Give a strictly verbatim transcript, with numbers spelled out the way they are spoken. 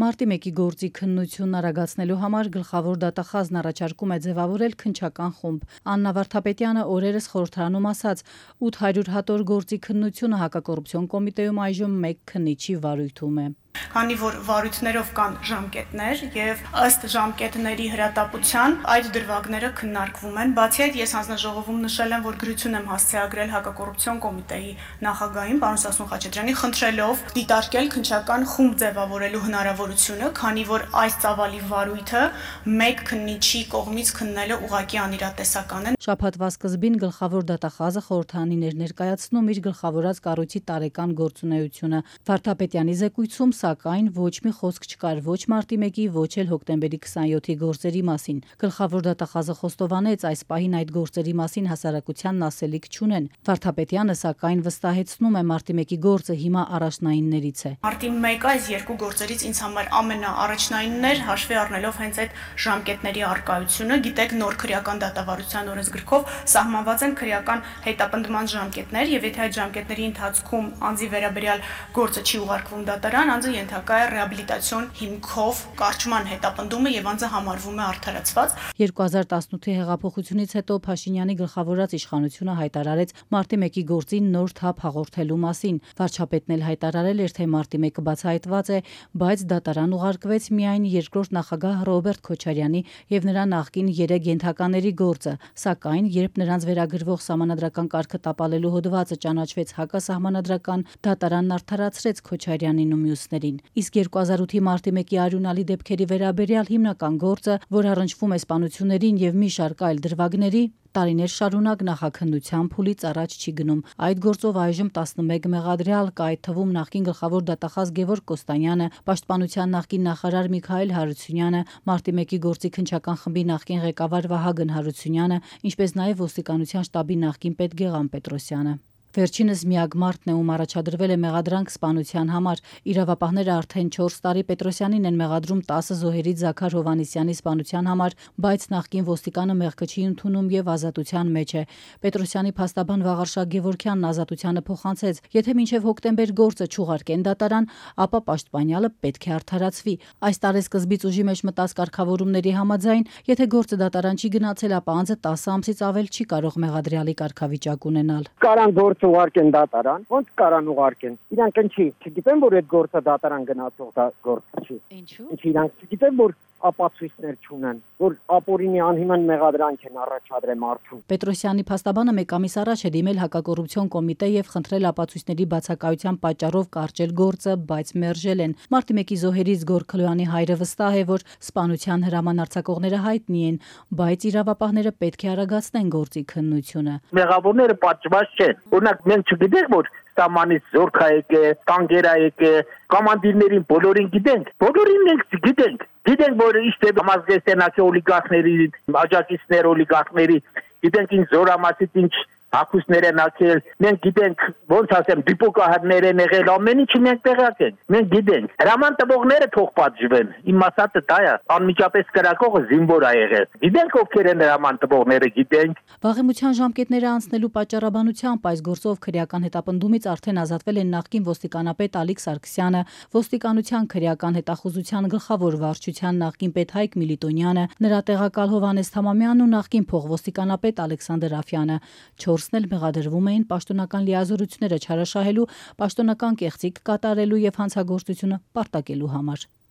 Մարտի մեկի գործի քննությունն արագացնելու համար գլխավոր դատախազն առաջարկում է ձևավորել քննչական խումբ։ Աննա Վարդապետյանը օրերս խորհրդարանում ասաց, ութ հարյուր հատոր գործի քննությունը հակակոռուպցիոն կոմիտեում այժմ մեկ քննիչի վարույթում է։ Քանի որ վարույթներով կան ժամկետներ եւ ըստ ժամկետների հրատապության այդ դրվագները քննարկվում են, բացի այդ ես հանձնաժողովում նշել եմ, որ գրություն եմ հասցեագրել հակակոռուպցիոն կոմիտեի նախագահին պարոն Սասուն Խաչատրյանին, խնդրելով դիտարկել քննչական խումբ ձևավորելու հնարավորությունը, քանի որ այս ծավալի վարույթը մեկ քննիչի կողմից քննելը ուղղակի անիրատեսական է։ Շաբաթվա սկզբին գլխավոր դատախազը խորհրդարանին էր ներկայացնում իր գլխավորած կառույցի տարեկան գործունեությունը։ Վարդապետյանի զեկույցում սակայն ոչ մի խոսք չկար ոչ մարտի մեկի, ոչ էլ հոկտեմբերի քսանյոթի գործերի մասին։ Գլխավոր դատախազը խոստովանեց, այս պահին այդ գործերի մասին հասարակությանն ասելիք չունեն։ Վարդապետյանը սակայն վստահեցնում է, մարտի մեկի գործը հիմա առաջնայիններից է։ Մարտի մեկը այս երկու գործերից ինձ համար ամենաառաջնայինն էր, հաշվի առնելով հենց այդ ժամկետների առկայությունը։ Գիտեք, նոր քրեական դատավարության օրենսգրքով սահմանված են քրեական հետապնդման ժամկետներ, եւ եթե այդ ժամկետների ընթացքում անձի վերաբերյալ գործը չի ուղարկվում դատարան, անձը ենթակա է ռեաբիլիտացիոն հիմքով կարճման հետապնդումը եւ անձը համարվում է արդարացված։ երկու հազար տասնութի հեղափոխությունից հետո Փաշինյանի գլխավորած իշխանությունը հայտարարեց մարտի մեկի գործին նոր թափ հաղորդելու մասին։ Վարչապետն էլ հայտարարել էր, թե մարտի մեկը բացահայտված է, բայց դատարան ուղարկվեց միայն երկրորդ նախագահ Ռոբերտ Քոչարյանի եւ նրա նախկին երեք ենթակաների գործը, սակայն երբ նրանց վերագրվող սահմանադրական կարգը տապալելու հոդվածը ճանաչվեց հակասահմանադրական, դատարանն արդարացրեց Քոչարյանին ու մյուսներին։ Իսկ երկու հազար ութի մարտի մեկի արյունալի դեպքերի վերաբերյալ հիմնական գործը, որ առնչվում է սպանություններին եւ մի շարք այլ դրվագների, տարիներ շարունակ նախաքննության փուլից առաջ չի գնում։ Այդ գործով այժմ տասնմեկ մեղադրյալ կա, այդ թվում նախկին գլխավոր դատախազ Գևորգ Կոստանյանը, Պաշտպանության նախկին նախարար Միքայել Հարությունյանը, մարտի մեկի գործի քննչական խմբի նախկին ղեկավար Վահագն Հարությունյանը, ինչպես նաև ոստիկանության շտաբի նախկին պետ Գեղամ Պետրոսյանը։ Վերջինս միակ մարտն է, ում առաջադրվել է մեղադրանք սպանության համար։ Իրավապահները արդեն չորս տարի Պետրոսյանին են մեղադրում տասը զոհերից Զաքար Հովհաննիսյանի սպանության համար, բայց նախկին ոստիկանը մեղքը չի ընդունում եւ ազատության մեջ է։ Պետրոսյանի փաստաբան Վաղարշակ Գևորգյանն ազատությանը փոխանցեց. եթե մինչեւ հոկտեմբեր գործը չուղարկեն դատարան, ապա պաշտպանյալը պետք է արդարացվի։ Այս տարեսկզբից ուժի մեջ մտած կարգավորումների համաձայն, եթե գործը դատարան չի գնացել, ապա անձը տասը ամսից ավել չի կարող մեղադրյալի կարգավիճակ ունենալ։ Կարան գործ ուղարկեն դատարան, ոնց կարան ուղարկեն։ Իրանք ինչի, չգիտեն, որ այդ գործը դատարան գնացող դա գործ չի։ Ինչու՞։ Ինչի իրանք չգիտեն, որ ապացույցներ չունեն, որ ապօրինի անհիմն մեղադրանք են առաջադրել մարդուն։ Պետրոսյանի փաստաբանը մեկ ամիս առաջ է դիմել հակակոռուպցիոն կոմիտե եւ խնդրել ապացույցների բացակայության պատճառով կարճել գործը, բայց մերժել են։ Մարտի մեկի զոհերից Գորգ Քլոյանի հայրը վստահ է, որ սպանության հրաման արձակողները հայտնի են, բայց իրավապահները պետք է արագացնեն գործի քննությունը։ Մեղավորները պատժված չեն։ Օրինակ մենք չգիտենք, որ Սամանից զորք է եկել, տանկեր է եկել, կոմանդիրներին բոլորին գիտենք, բոլորին մենք գիտենք, գիտենք, որ իշտե համազգեստենացի օլիգարխների, աջակիցներ օլիգարխների, գիտենք ինչ զորամասից ինչ հակուսներ են ակել, մենք գիտենք, ոնց ասեմ, դիպոկահարներ են եղել, ամեն ինչը մենք տեղյակ ենք, մենք գիտենք, հրաման տվողները թող պատժվեն, իմ ասածը դա է, անմիջապես կրակողը զինվոր է եղել, գիտենք ովքեր են հրաման տվողները, գիտենք։ Վաղեմության ժամկետները անցնելու պատճառաբանությամբ այս գործով քրեական հետապնդումից արդեն ազատվել են նախկին ոստիկանապետ Ալիկ Սարգսյանը, ոստիկանության քրեական հետախուզության գլխավոր վարչության նախկին պետ Հայկ Միլիտոնյանը, նրա տեղակալ Հովհաննես Թամամյանն ու նախկին փոխոստիկանապետ Ալեքսանդր Աֆյանը։ Չորսն էլ մեղադրվում էին պաշտոնական լիազորությունները չարաշահելու, պաշտոնական կեղծիք կատարելու եւ հանցագործությունը պարտակելու համար։